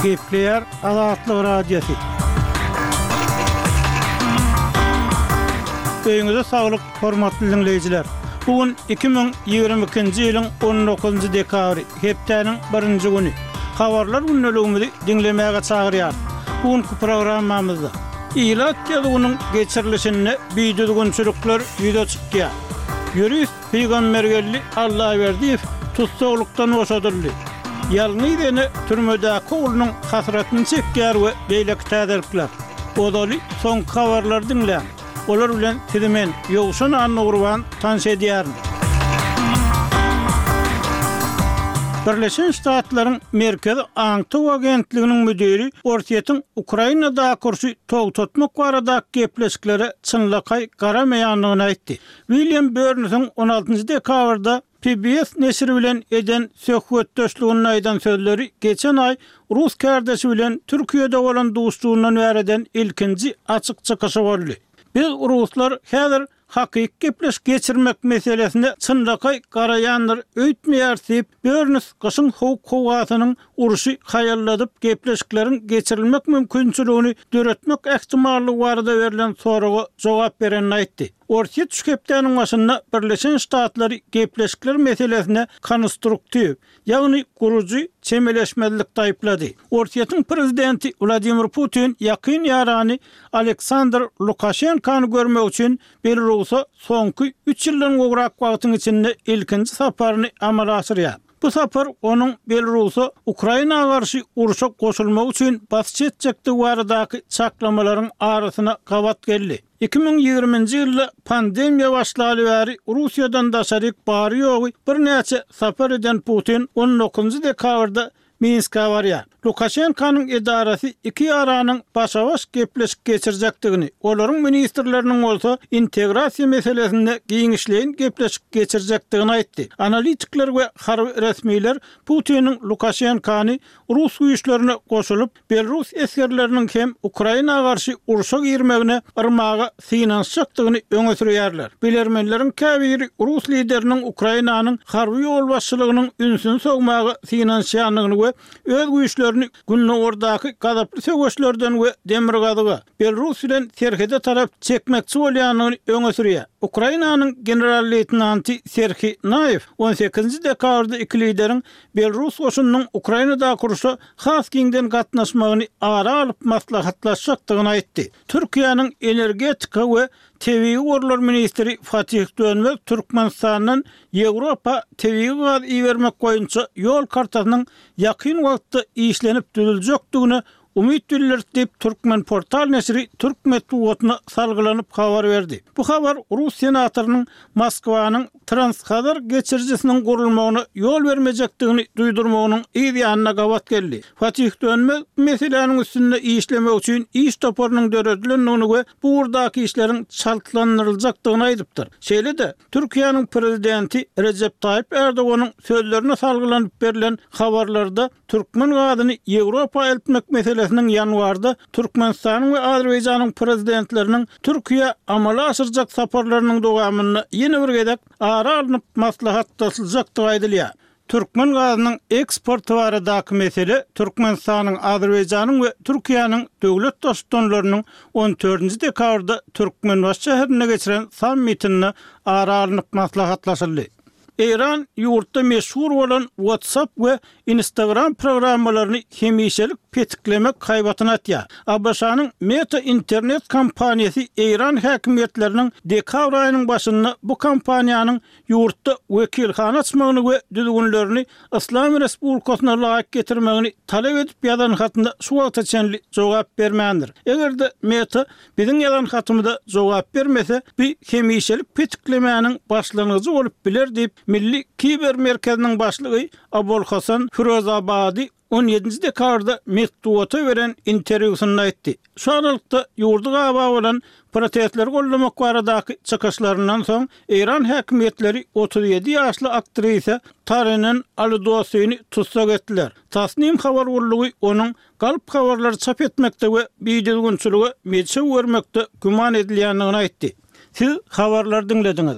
Gepleýär Azatlyk Radiosy. Öýüňize saglyk, hormatly diňleýjiler! Bu gün 2022-nji ýylyň on dokuzynjy dekabry, hepdäniň birinji güni. Habarlar gündeligimizi diňlemäge çagyrýarys. Bu günki programmamyzda ilat ýazuwynyň geçirilişinde bidüzgünçilikler ýüze çykýar. Ýurist Pygambergeldi Allaberdiýew tussaglykdan boşadyldy. Ýalňyz ene türmedäki oglunyň hasratyny çekýär we beýleki täzelikler. Ozaly soňky habarlary diňläň. Olar bilen sizi men, Ýowşan Annagurban tanyş edýärin. Birleşen Ştatlaryň Merkezi aňtaw agentliginiň müdiri Orsýetiň Ukrainadaky urşy togtatmak baradaky gepleşiklere çynlakaý garamaýandygyny aýtdy. William Börnsiň on altynjy dekabrda PBS neşiri bilen eden söhbetdeşliginde aýdan sözleri geçen aý rus kärdeşi bilen Türkiýede bolan duşuşygyndan bäri eden ilkinji açyk çykyşy boldy. Biz, ruslar, häzir hakyky gepleşik geçirmek meselesine çynlakaý garaýandyr öýtmeýäris diýip, Börns gyşyň sowuk howasynyň urşy haýalladyp gepleşikleriň geçirilmek mümkinçiligini döretmek ähtimallygy barada berlen soraga jogap berenini aýtdy. Orsýet şu hepdäniň başynda Birleşen Ştatlary gepleşikler meselesine konstruktiw, ýagny gurujy çemeleşmezlikde aýyplady. Orsýetiň prezidenti Wladimir Putin ýakyn ýarany Aleksandr Lukaşenkany görmek üçin Belarusa soňky üç ýyldan gowrak wagtyň içinde ilkinji saparyny amala aşyrýar. Bu sapar onuň Belarusa Ukraina garşy urşa goşulmagy üçin basyş etjekdigi baradaky çaklamalaryň arasyna gabat geldi. 2020-nji ýylda pandemiýa başlaly bäri Russiýadan daşaryk bary-ýogy birnäçe sapar eden Putin on dokuzynjy dekabrda Minskä barýar. Lukaşenkanyň edarasy iki ýaranyň başa-baş gepleşik geçirjekdigini, olaryň ministrleriniň bolsa integrasiýa meselesinde giňişleýin gepleşik geçirjekdigini aýtdy. Analitikler we harby resmiler Putiniň Lukaşenkany rus güýçlerine goşulyp, Belarus esgerleriniň hem Ukraina garşy urşa girmegine yrmaga synanyşjakdygyny öňe sürýärler. Bilermenleriň käbiri rus lideriniň Ukrainanyň harby ýolbaşçylygynyň ünsüni sowmaga synanyşýandygyny we öz güýçlerini gündogardaky gazaply söweşlerden we demirgazyga, Belarus bilen serhede tarap çekmekçi bolýandygyny öňe sürýär. Ukrainanyň general-leýtenanty Serhiý Naýew on sekizinji dekabrda iki lideriň Belarus goşunynyň Ukrainadaky urşa has giňden gatnaşmagyny ara alyp maslahatlaşjakdygyny aýtdy. Türkiýäniň energetika we tebigy gorlar ministri Fatih Dönmez Türkmenistandan Ýewropa tebigy gaz ibermek boýunça ýol kartasynyň ýakyn wagtda işlenip düzüljekdigine umyt bildirdi diýip, Turkmenportal neşiri türk metbugatyna salgylanyp habar berdi. Bu habar rus senatorynyň Moskwanyň Transhazar geçirijisiniň gurulmagyna ýol bermejekdigini duýdurmagynyň yz ýanyna gabat geldi. Fatih Dönmez bu meseläniň üstünde işlemek üçin iş toparynyň döredilendigini we bu ugurdaky işleriň çaltlandyryljakdygyny aýdypdyr. Şeýle-de, Türkiýäniň Prezidenti Rejep Taýyp Erdoganyň sözlerine salgylanyp berlen habarlarda türkmen gazyny Ýewropa eltmek meselesiniň ýanwarda Türkmenistanyň we Azerbaýjanyň Prezidentleriniň Türkiýä amala aşyrjak saparlarynyň dowamynda ýene bir gezek ara alnyp maslahatlaşyljakdygy aýdylýar. Türkmen gazynyň eksporty baradaky mesele Türkmenistanyň, Azerbaýjanyň we Türkiýäniň döwlet Baştutanlarynyň on dördünji dekabrda Türkmenbaşy şäherinde geçiren sammitinde ara alnyp maslahatlaşyldy. Eýran ýurtda meşhur bolan WhatsApp we Instagram programmalaryny hemişelik petiklemek haýbatyny atýar. ABŞ-nyň Meta internet kompaniýasy eýran häkimiýetleriniň dekabr aýynyň başynda bu kompaniýanyň ýurtda wekilhana açmagyny we düzgünlerini Yslam Respublikasyna laýyk getirmegini talap edip ýazan hatyna şu wagta çenli jogap bermändir. Eger-de Meta biziň ýazan hatymyza jogap bermese, bu hemişelik petiklemäniň başlangyjy bolup biler diýip, Milli kiber merkeziniň başlygy Abolhasan Firozabadi on ýedinji dekabrda metbugata beren interwýusynda aýtdy. Şu aralykda, ýurdy gabap alan protestleri goldamak baradaky çykyşlaryndan soň, eýran häkimiýetleri 37 ýaşly aktrisa Tarinen Alidosini tussag etdiler. Tasnim habar gullugy onuň galp habarlary çap etmekde we bidüzgünçilige meçew bermekde güman edilýändigini aýtdy. Siz habarlary diňlediňiz.